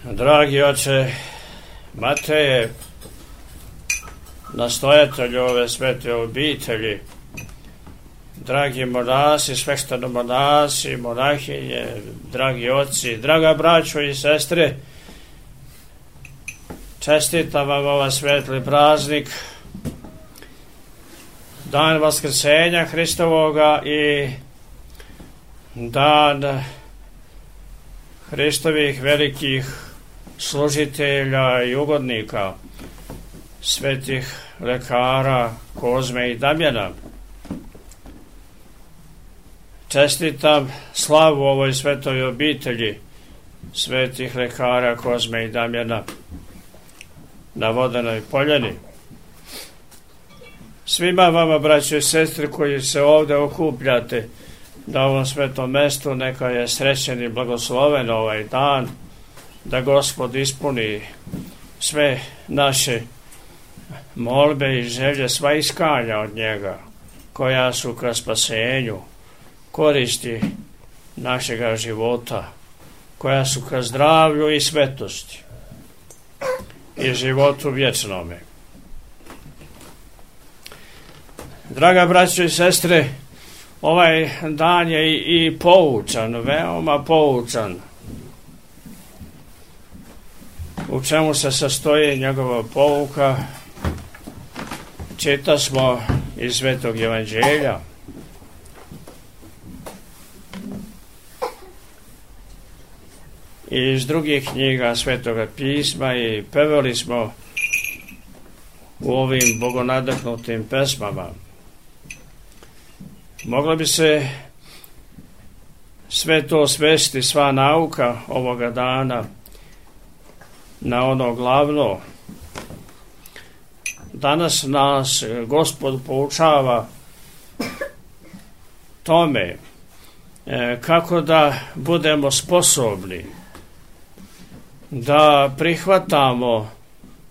Dragi oče Mateje, nastojatelju ove svete obitelji, dragi monasi, sveštenomonasi, monahinje, dragi oci, draga braćo i sestre, čestitam vam ovaj svetli praznik, dan Vaskrsenja Hristovoga i dan Hristovih velikih služitelja i ugodnika, svetih lekara Kozme i Damjana. Čestitam slavu ovoj svetoj obitelji svetih lekara Kozme i Damjana na Vodenoj Poljani. Svima vama, braćo i sestre, koji se ovdje okupljate na ovom svetom mestu, neka je srećen i blagosloven ovaj dan, da Gospod ispuni sve naše molbe i želje, sva iskanja od njega, koja su ka spasenju, koristi našega života, koja su ka zdravlju i svetosti i životu vječnome. Draga braćo i sestre, ovaj dan je i poučan, veoma poučan. U čemu se sastoji njegova pouka? Čita smo iz Svetog Evanđelja. I iz drugih knjiga Svetoga pisma i pevali smo u ovim bogonadahnutim pesmama. Mogla bi se sve to svesti, sva nauka ovoga dana, na ono glavno. Danas nas Gospod poučava tome kako da budemo sposobni da prihvatamo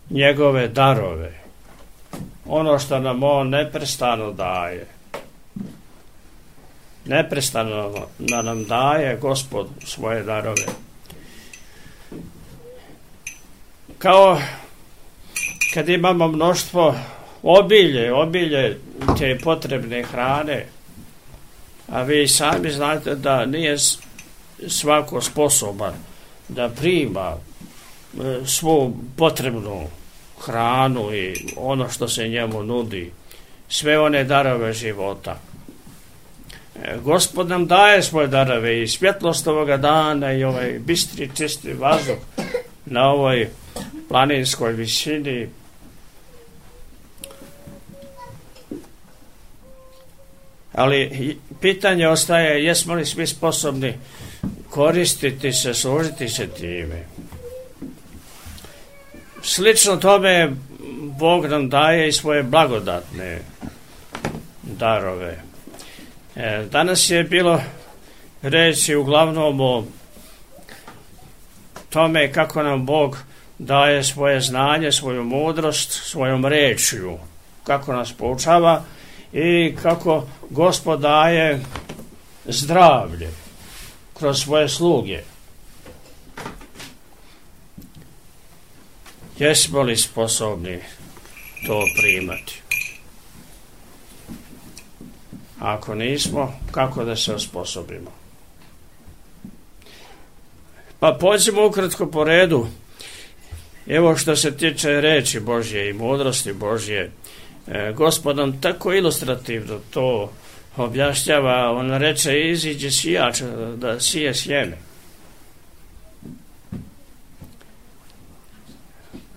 njegove darove, ono što nam on neprestano daje. Neprestano da nam daje Gospod svoje darove. Kao kad imamo mnoštvo obilje te potrebne hrane, a vi sami znate da nije svako sposoban da prima svu potrebnu hranu i ono što se njemu nudi, sve one darove života. Gospod nam daje svoje darove i svjetlost ovoga dana i ovaj bistri, čisti vazduh na ovoj planinskoj visini. Ali pitanje ostaje, jesmo li svi sposobni koristiti se, služiti se time. Slično tome Bog nam daje i svoje blagodatne darove. Danas je bilo reći uglavnom o tome kako nam Bog daje svoje znanje, svoju mudrost, svojom rečju, kako nas poučava i kako Gospod daje zdravlje kroz svoje sluge. Jesmo li sposobni to primati? Ako nismo, kako da se osposobimo? Pa pođemo ukratko po redu. Evo što se tiče reči Božje i mudrosti Božje. Gospod nam tako ilustrativno to objašnjava. On reče, iziđe sijač da sije sjeme.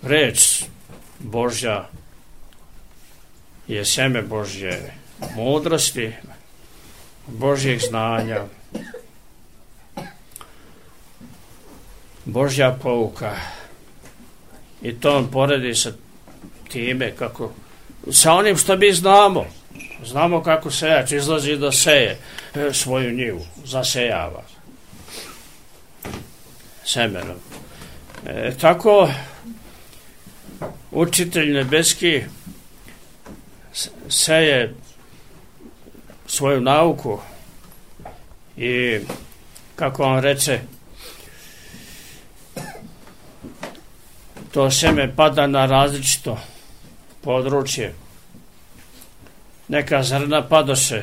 Reč Božja je sjeme Božje mudrosti, Božjeg znanja, Božja pouka. I to on poredi sa time kako, sa onim što mi znamo. Znamo kako sejač izlazi da seje svoju njivu, zasejava semenom. Tako učitelj nebeski seje svoju nauku i kako on reče, to seme pada na različito područje. Neka zrna padoše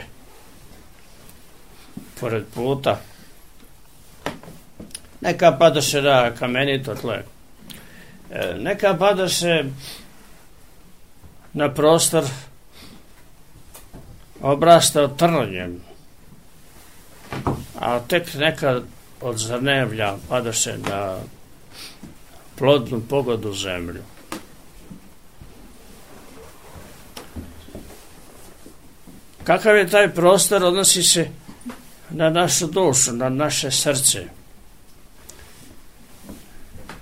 pored puta, neka padoše na kamenito tle, neka padoše na prostor obrastao trnjem, a tek neka od zrnevlja padoše na plodnu pogodu zemlju. Kakav je taj prostor, odnosi se na našu dušu, na naše srce.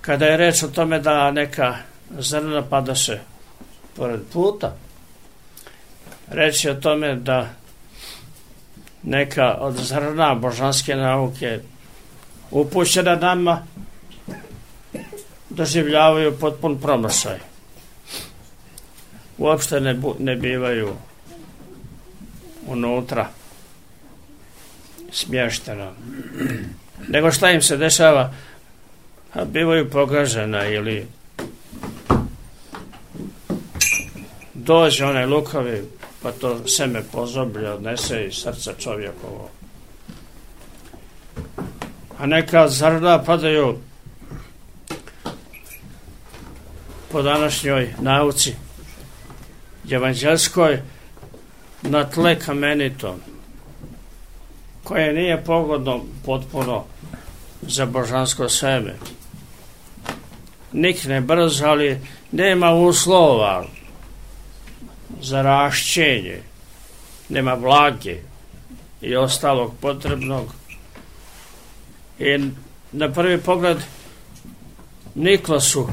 Kada je reč o tome da neka zrna padoše pored puta, reč je o tome da neka od zrna božanske nauke upućena nama doživljavaju potpun promašaj. Uopšte ne bivaju unutra smještena. Nego šta im se dešava? Bivaju pogažena ili dođe onaj lukavi pa to seme pozoblje odnese iz srca čovjekovo. A neka zrna padaju po današnjoj nauci evanđelskoj na tle kamenito, koje nije pogodno potpuno za božansko seme. Nikne brzo, ali nema uslova za rašćenje, nema vlage i ostalog potrebnog. I na prvi pogled nikla su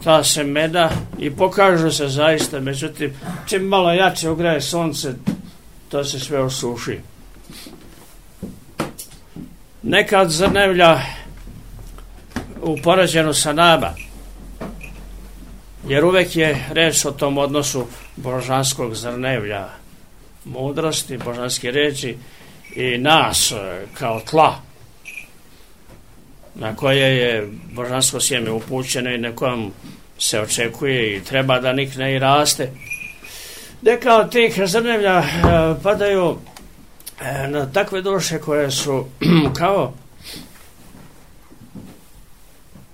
ta semena i pokažu se zaista, međutim, čim malo jače ugreje sunce, to se sve osuši. Neka od zrnevlja upoređeno sa nama, jer uvek je reč o tom odnosu božanskog zrnevlja, mudrosti, božanske reči i nas kao tla na koje je božansko sjeme upućeno i na kojem se očekuje i treba da nikne i raste. Neka od tih zrnevlja padaju na takve duše koje su kao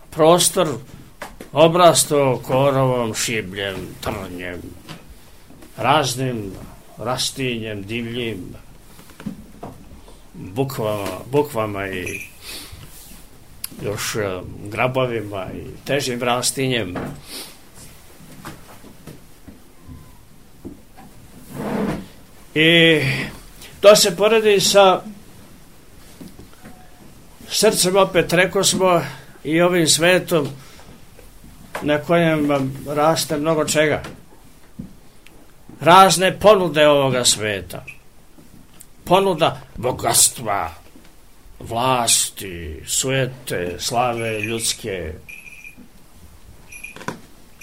prostor obrasto korovom, šibljem, trnjem, raznim rastinjem, divljim, bukvama i još grabovima i težim rastinjem. I to se poredi sa srcem, opet reko smo, i ovim svetom na kojem raste mnogo čega. Razne ponude ovoga sveta. Ponuda bogatstva, vlasti, sujete, slave ljudske,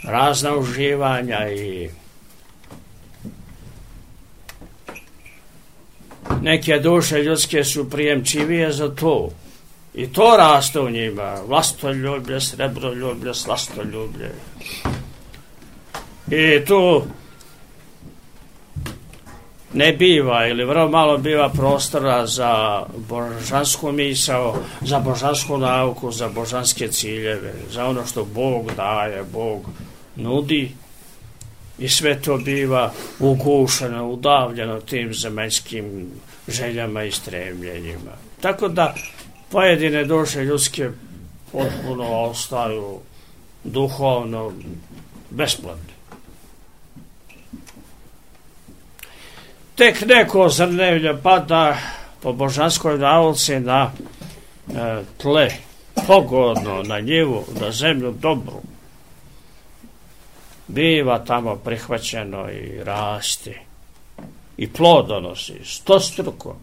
razna uživanja i neke duše ljudske su prijemčivije za to. I to raste u njima. Vlastoljublje, srebroljublje, slastoljublje. I tu ne biva ili vrlo malo biva prostora za božansku misao, za božansku nauku, za božanske ciljeve, za ono što Bog daje, Bog nudi. I sve to biva ugušeno, udavljeno tim zemaljskim željama i stremljenjima. Tako da pojedine duše ljudske potpuno ostaju duhovno besplatne. Tek neko zrnevlje pada po božanskoj nauci na tle, pogodno, na njivu, na zemlju dobru. Biva tamo prihvaćeno i raste i plod donosi stostruko.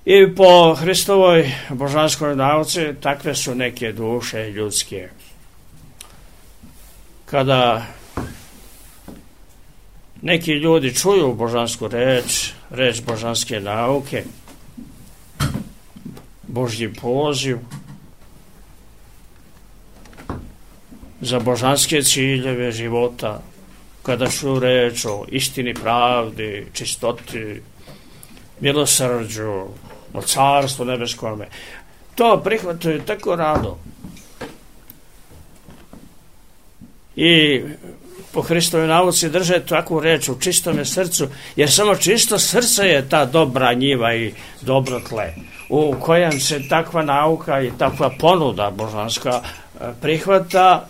I po Hristovoj božanskoj nauci takve su neke duše ljudske. Kada neki ljudi čuju božansku reč božanske nauke, Božji poziv, za božanske ciljeve života, kada su reč o istini, pravdi, čistoti, milosrđu, o carstvu nebeskome. To prihvataju tako rado. I po Hristovoj nauci drže takvu reč u čistome srcu, jer samo čisto srce je ta dobra njiva i dobro tle, u kojem se takva nauka i takva ponuda božanska prihvata,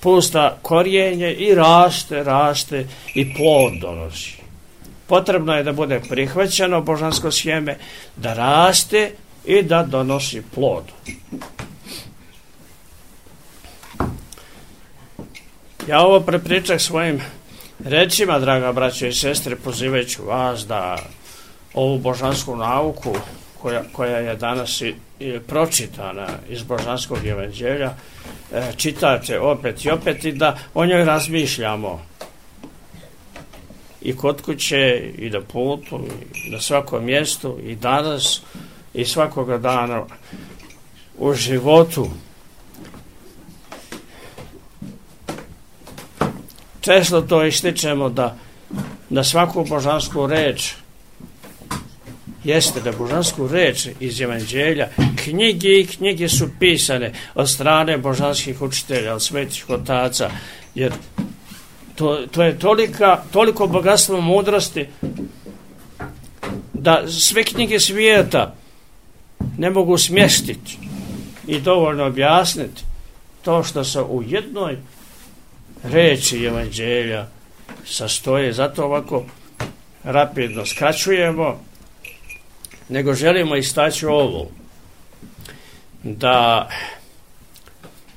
pusta korijenje i raste i plod donosi. Potrebno je da bude prihvaćeno božansko sjeme, da raste i da donosi plod. Ja ovo prepričah svojim rečima, draga braćo i sestre, pozivajući vas da ovu božansku nauku koja je danas i pročitana iz božanskog evanđelja, čitate opet i opet i da o njoj razmišljamo i kod kuće i na putu i na svakom mjestu i danas i svakoga dana u životu. Često to ističemo da svaku božansku reč jeste da božansku reč iz evanđelja, knjige su pisane od strane božanskih učitelja, od svetih otaca, jer to je toliko bogatstvo mudrosti da sve knjige svijeta ne mogu smjestiti i dovoljno objasniti to što se u jednoj reči evanđelja sastoje. Zato ovako rapidno skraćujemo, nego želimo istaći ovo, da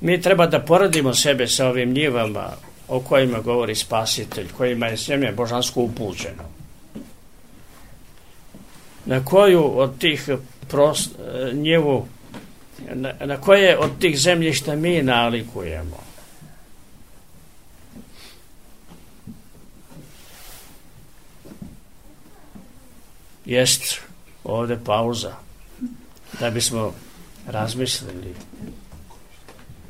mi treba da poredimo sebe sa ovim njivama o kojima govori Spasitelj, kojima je sjeme božansko upućeno. Na koju od tih njivu, na koje od tih zemljišta mi nalikujemo? Jest ovdje pauza da bismo razmislili.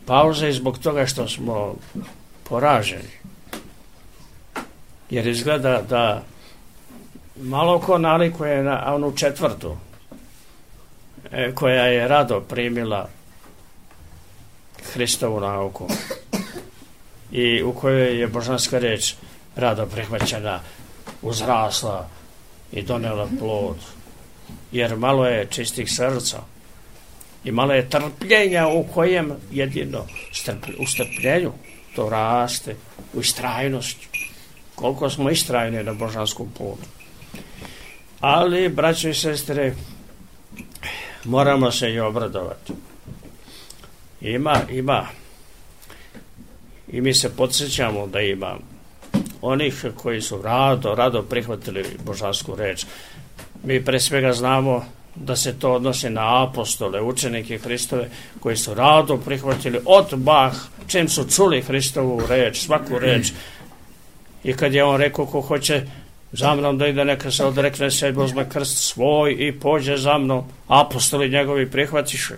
Pauza je zbog toga što smo poraženi, jer izgleda da malo ko nalikuje na onu četvrtu koja je rado primila Hristovu nauku i u kojoj je božanska reč rado prihvaćena, uzrasla i donela plod, jer malo je čistih srca i malo je trpljenja, u kojem jedino u strpljenju to raste, u istrajnosti. Koliko smo istrajni na božanskom putu. Ali, braćo i sestre, moramo se i obradovati. Ima. I mi se podsjećamo da ima onih koji su rado prihvatili božansku reč. Mi pre svega znamo da se to odnosi na apostole, učenike Hristove, koji su rado prihvatili odmah čim su čuli Hristovu reč, svaku reč. I kad je on rekao, ko hoće za mnom da ide, neka se odrekne sebe, uzme krst svoj i pođe za mnom, apostoli njegovi prihvatiše.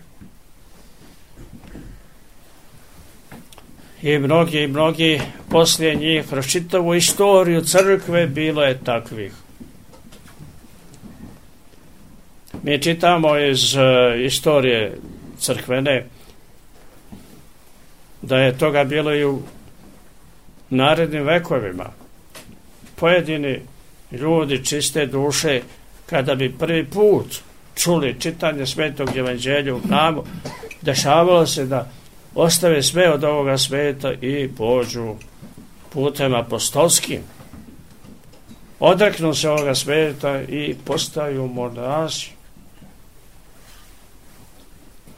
I mnogi poslije njih, kroz čitavu istoriju crkve bilo je takvih. Mi čitamo iz istorije crkvene da je toga bilo i u narednim vekovima. Pojedini ljudi čiste duše, kada bi prvi put čuli čitanje Svetog evanđelja u hramu, dešavalo se da ostave sve od ovoga sveta i pođu putem apostolskim. Odreknu se ovoga sveta i postaju monasi.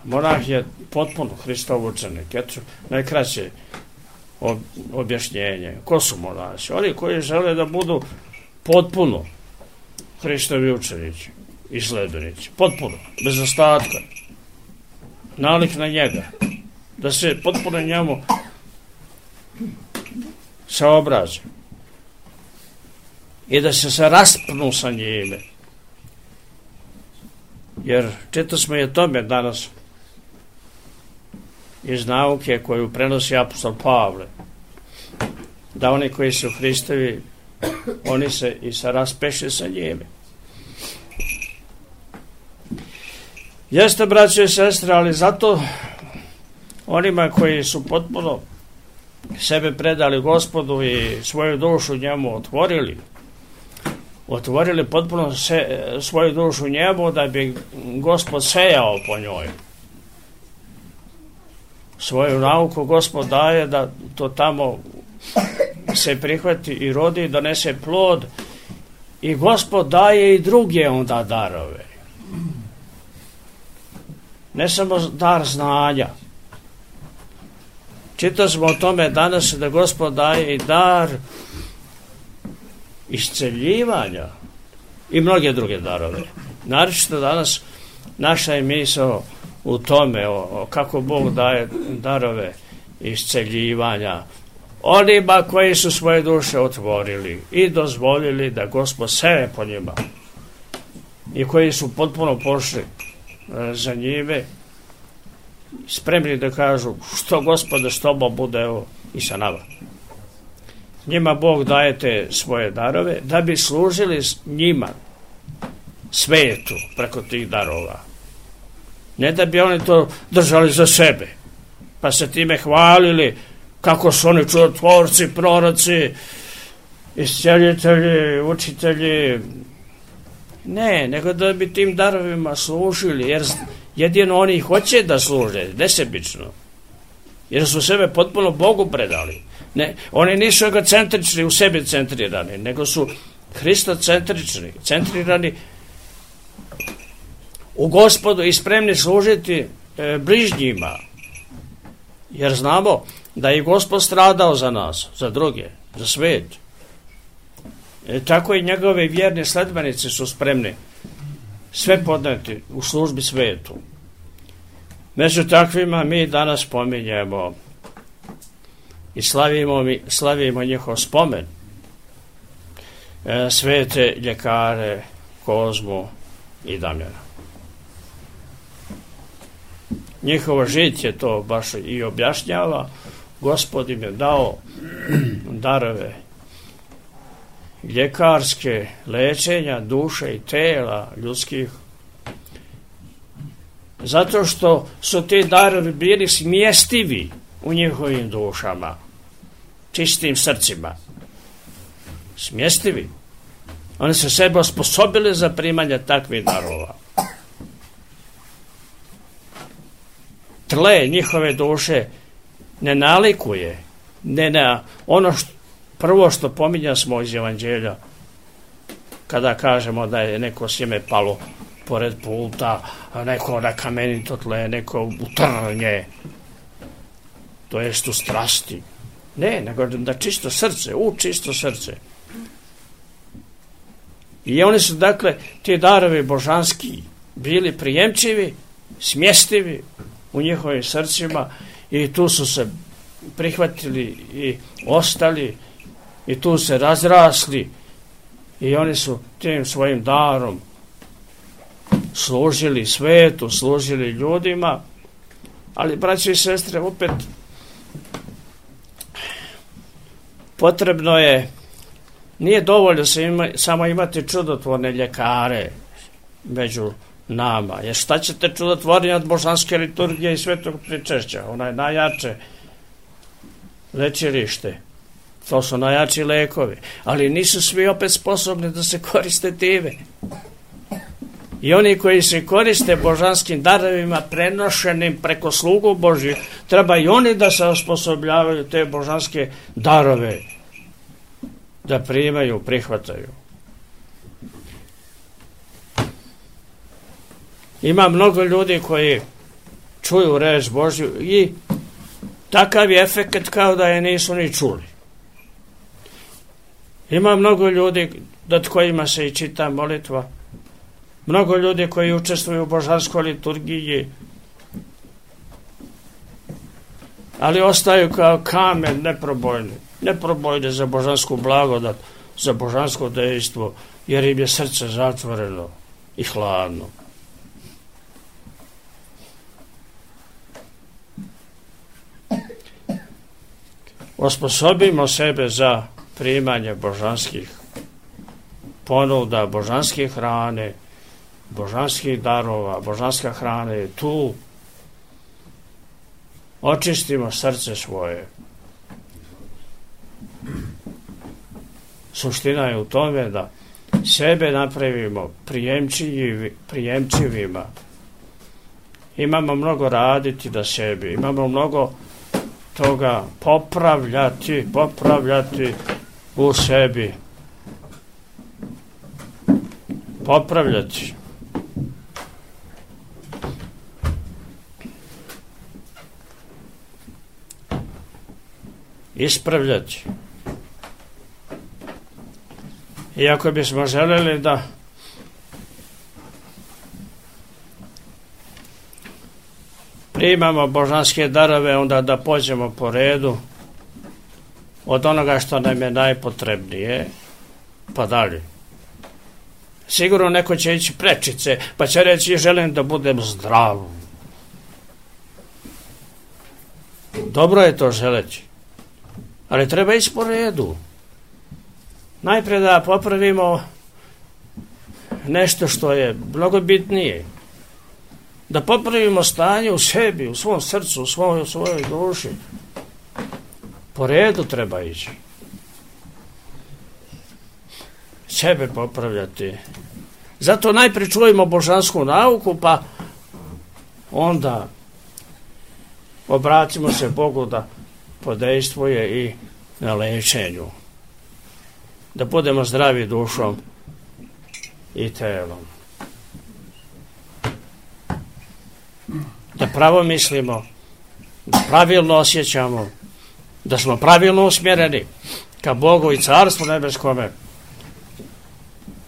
Monah je potpuno Hristov učenik. Eto, najkraće objašnjenje. Ko su monasi? Oni koji žele da budu potpuno Hristovi učenici i sledbenici. Potpuno, bez ostatka. Nalik na njega. Da se potpuno njemu saobraze. I da se raspnu sa njime. Jer čito smo i o tome danas iz nauke koju prenosi apostol Pavle, da oni koji su Hristovi, oni se i raspeše sa njime. Jeste, braće i sestre, ali zato onima koji su potpuno sebe predali Gospodu i svoju dušu njemu otvorili potpuno svoju dušu njemu, da bi Gospod sejao po njoj. Svoju nauku Gospod daje da to tamo se prihvati i rodi i donese plod, i Gospod daje i druge onda darove. Ne samo dar znanja. Čitali smo o tome danas da Gospod daje i dar isceljivanja i mnoge druge darove. Naročito danas naša je misao u tome kako Bog daje darove isceljivanja onima koji su svoje duše otvorili i dozvolili da Gospod seje po njima, i koji su potpuno pošli za njime, spremni da kažu što Gospode s tobom bude, evo i sa nama. Njima Bog daje te svoje darove da bi služili njima, svetu, preko tih darova. Ne da bi oni to držali za sebe, pa se time hvalili kako su oni čudotvorci, proroci, iscijelitelji, učitelji. Ne, nego da bi tim darovima služili, jer jedino oni hoće da služe, nesebično. Jer su sebe potpuno Bogu predali. Ne, oni nisu egocentrični, u sebi centrirani, nego su hristocentrični, centrirani u Gospodu i spremni služiti bližnjima. Jer znamo da je Gospod stradao za nas, za druge, za svet. Tako i njegove vjerne sledbenici su spremni sve podneti u službi svetu. Među takvima mi danas spominjemo i slavimo njihov spomen. Svete ljekare Kozmu i Damjana. Njihovo žiće to baš i objašnjava. Gospod im je dao darove ljekarske, lečenja duše i tela ljudskih, zato što su ti darovi bili smjestivi u njihovim dušama, čistim srcima. Smjestivi. Oni su sebe osposobili za primanje takvih darova. Tle njihove duše ne nalikuje, ne na ono prvo što pominja smo iz Evanđelja, kada kažemo da je neko sjeme palo pored puta, a neko na kamenito tle, neko u trnje, to jest u strasti. Ne, nego da čisto srce, čisto srce. I oni su, dakle, ti darovi božanski bili prijemčivi, smjestivi u njihovim srcima, i tu su se prihvatili i ostali, i tu se razrasli, i oni su tim svojim darom služili svetu, služili ljudima. Ali, braći i sestre, opet potrebno je, nije dovoljno samo imati čudotvorne ljekare među nama. Jer šta ćete čudotvornije od božanske liturgije i svetog pričešća? Ona je najjače lečilište. To su najjači lekovi. Ali nisu svi opet sposobni da se koriste time. I oni koji se koriste božanskim darovima prenošenim preko slugu Božji, treba i oni da se osposobljavaju te božanske darove, da primaju, prihvataju. Ima mnogo ljudi koji čuju reč Božju i takav je efekt kao da je nisu ni čuli. Ima mnogo ljudi nad kojima se i čita molitva, mnogo ljudi koji učestvuju u božanskoj liturgiji, ali ostaju kao kamen neprobojni za božansku blagodat, za božansko dejstvo, jer im je srce zatvoreno i hladno. osposobimo sebe za primanje božanskih ponuda, božanske hrane, božanskih darova. Božanska hrana je tu. Očistimo srce svoje. Suština je u tome da sebe napravimo prijemčivima. Imamo mnogo raditi da sebi. Imamo mnogo toga popravljati u sebi. Popravljati. Ispravljati. I ako bismo želeli da primamo božanske darove, onda da pođemo po redu od onoga što nam je najpotrebnije, pa dalje. Sigurno neko će ići prečice, pa će reći želim da budem zdrav. Dobro je to želeći, ali treba ići po redu. Najprije da popravimo nešto što je mnogo bitnije. Da popravimo stanje u sebi, u svom srcu, u svojoj duši. Po redu treba ići. Sebe popravljati. Zato najprije čujemo božansku nauku, pa onda obratimo se Bogu da podejstvuje i na lečenju. Da budemo zdravi dušom i telom. Da pravo mislimo, da pravilno osjećamo, da smo pravilno usmjereni ka Bogu i Carstvu nebeskome,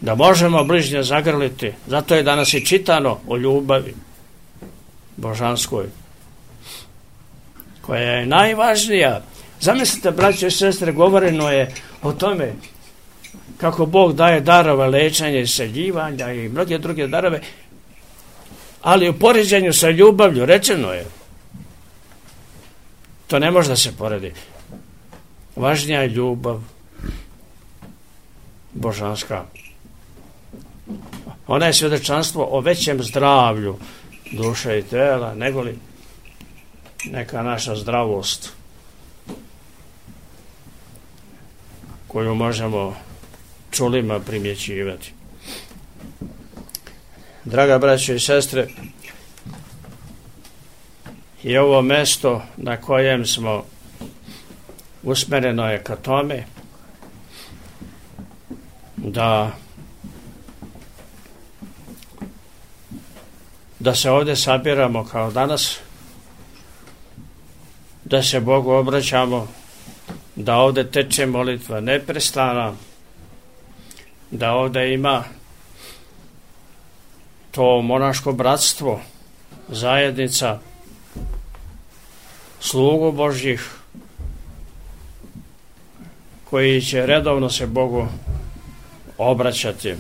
da možemo bližnje zagrliti. Zato je danas i čitano o ljubavi božanskoj, koja je najvažnija. Zamislite, braće i sestre, govoreno je o tome kako Bog daje darove lečenja, isceljivanja i mnoge druge darove, ali u poređenju sa ljubavlju rečeno je, to ne može da se poredi. Važnija je ljubav božanska. Ona je svjedočanstvo o većem zdravlju duše i tela, nego li neka naša zdravost koju možemo čulima primjećivati. Draga braćo i sestre, i ovo mesto na kojem smo usmjereno je ka tome da se ovdje sabiramo kao danas, da se Bogu obraćamo, da ovdje teče molitva neprestana, da ovdje ima to monaško bratstvo, zajednica slugu Božjih koji će redovno se Bogu obraćati.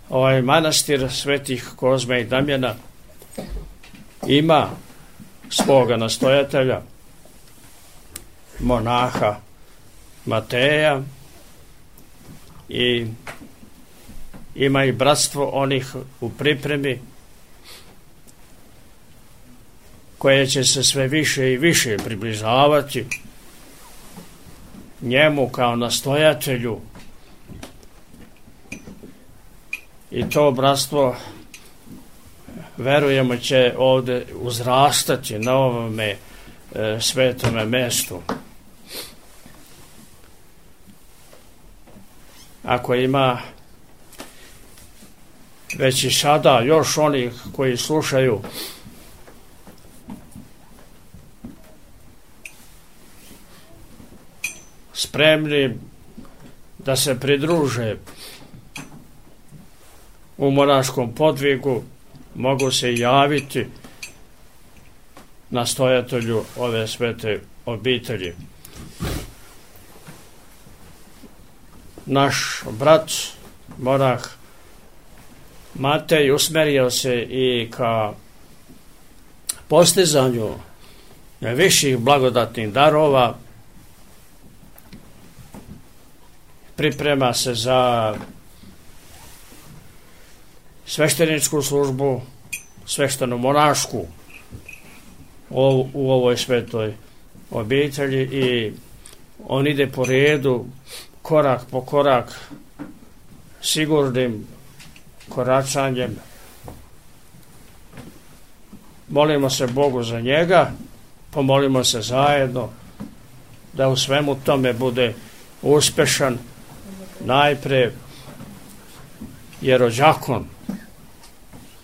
Ovaj manastir svetih Kozme i Damjana ima svoga nastojatelja, monaha Mateja, i ima i bratstvo onih u pripremi koje će se sve više i više približavati njemu kao nastojatelju, i to bratstvo verujemo će ovdje uzrastati na ovome svetome mestu. Ako ima već i sada još onih koji slušaju spremni da se pridruže u monaškom podvigu, mogu se javiti nastojatelju ove svete obitelji. Naš brat, monah Matej, usmjerio se i ka postizanju viših blagodatnih darova, priprema se za svešteničku službu, svešteno-monašku u ovoj svetoj obitelji i on ide po redu, korak po korak, sigurnim koračanjem. Molimo se Bogu za njega, pomolimo se zajedno da u svemu tome bude uspešan, najpre jerođakon,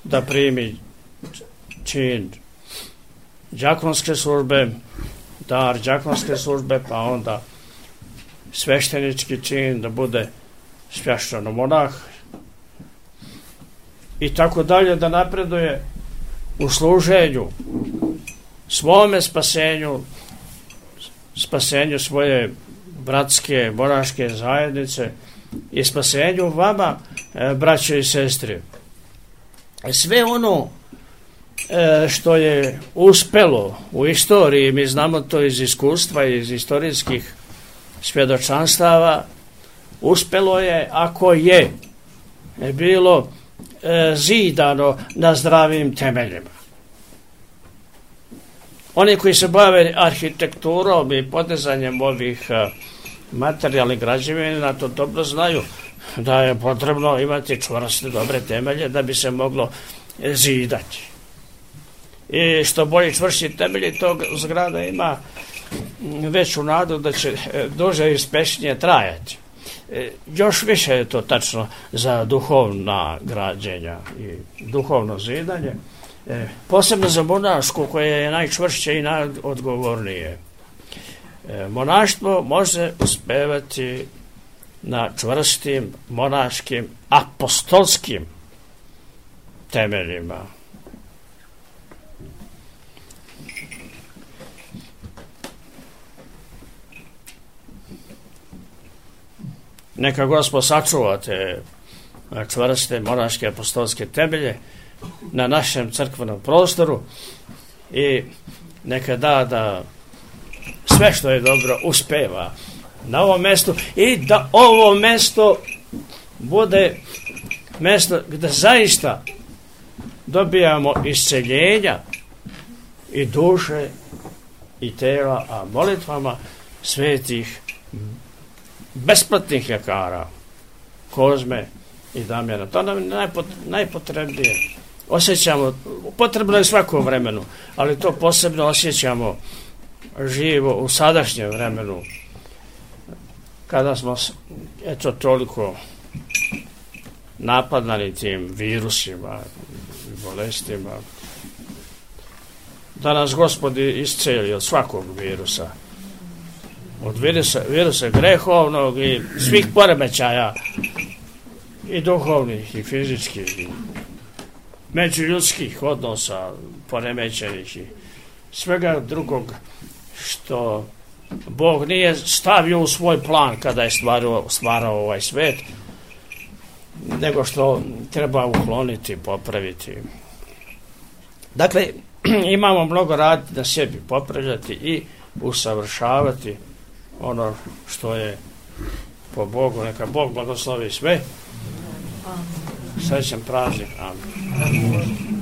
da primi čin đakonske službe, dar đakonske službe, pa onda sveštenički čin, da bude svešćeno-monah i tako dalje, da napreduje u služenju svome spasenju svoje bratske, monaške zajednice i spasenju vama, braće i sestre. Sve ono što je uspelo u istoriji, mi znamo to iz iskustva, iz istorijskih svjedočanstava, uspelo je ako je bilo zidano na zdravim temeljima. Oni koji se bave arhitekturom i podizanjem ovih materijalnih građevina to dobro znaju da je potrebno imati čvrste, dobre temelje da bi se moglo zidati. I što bolje čvršći temelji, tog zgrada ima veću nadu da će duže i uspešnije trajati. Još više je to tačno za duhovna građenja i duhovno zidanje, posebno za monašku koje je najčvršće i najodgovornije. Monaštvo može uspevati na čvrstim monaškim apostolskim temeljima. Neka Gospod sačuva te čvrste monaške apostolske temelje na našem crkvenom prostoru i neka da sve što je dobro uspeva na ovom mjestu i da ovo mjesto bude mjesto gdje zaista dobijamo isceljenja i duše i tela, a molitvama svetih besplatnih ljekara Kozme i Damjana. To nam je najpotrebnije. Osjećamo, potrebno je svako vremenu, ali to posebno osjećamo živo u sadašnjem vremenu, kada smo eto toliko napadani tim virusima i bolestima, da nas Gospod isceli od svakog virusa, od virusa grehovnog i svih poremećaja i duhovnih i fizičkih i međuljudskih odnosa poremećenih i svega drugog što Bog nije stavio u svoj plan kada je stvarao ovaj svet, nego što treba ukloniti, popraviti. Dakle, imamo mnogo raditi na sebi, popravljati i usavršavati ono što je po Bogu. Neka Bog blagoslovi sve. Srećan praznik. Amen.